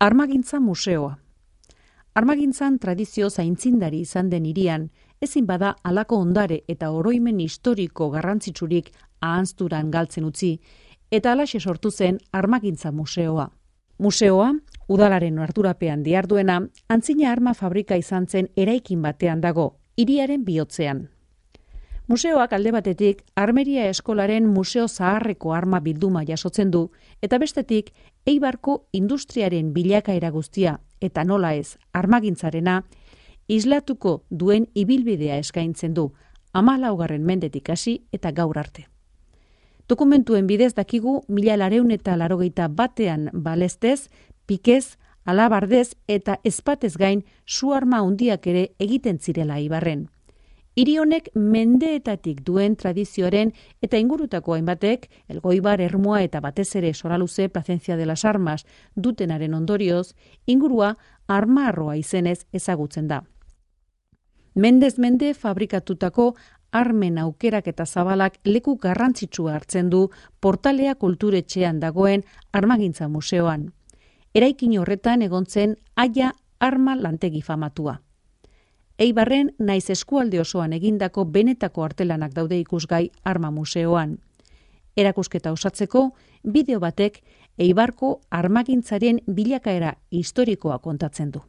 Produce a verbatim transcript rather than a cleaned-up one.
Armagintza museoa. Armagintzan tradizio zaintzindari izan den hirian, ezin bada halako ondare eta oroimen historiko garrantzitsurik ahanzturan galtzen utzi, eta halaxe sortu zen Armagintza museoa. Museoa, udalaren ardurapean diharduena, antzina arma fabrika izan zen eraikin batean dago, hiriaren bihotzean. Museoak alde batetik Armeria Eskolaren Museo Zaharreko arma bilduma jasotzen du, eta bestetik Eibarko industriaren bilakaera guztia, eta nola ez, armagintzarena, islatuko duen ibilbidea eskaintzen du, hamalaugarren mendetik hasi eta gaur arte. Dokumentuen bidez dakigu mila lareun eta larogeita batean balestez, pikez, alabardez eta ezpatez gain su arma handiak ere egiten zirela Eibarren. Hiri honek mendeetatik duen tradizioaren eta ingurutako hainbatek, Elgoibar, Ermua eta batez ere Soraluze, Placencia de las Armas dutenaren ondorioz, ingurua armarroa izenez ezagutzen da. Mendez mende fabrikatutako armen aukerak eta zabalak leku garrantzitsua hartzen du Portalea kulturetxean dagoen Armagintza museoan. Eraikin horretan egon zen Aia arma lantegi famatua. Eibarren naiz eskualde osoan egindako benetako artelanak daude ikusgai arma museoan. Erakusketa osatzeko, bideo batek Eibarko armagintzaren bilakaera historikoa kontatzen du.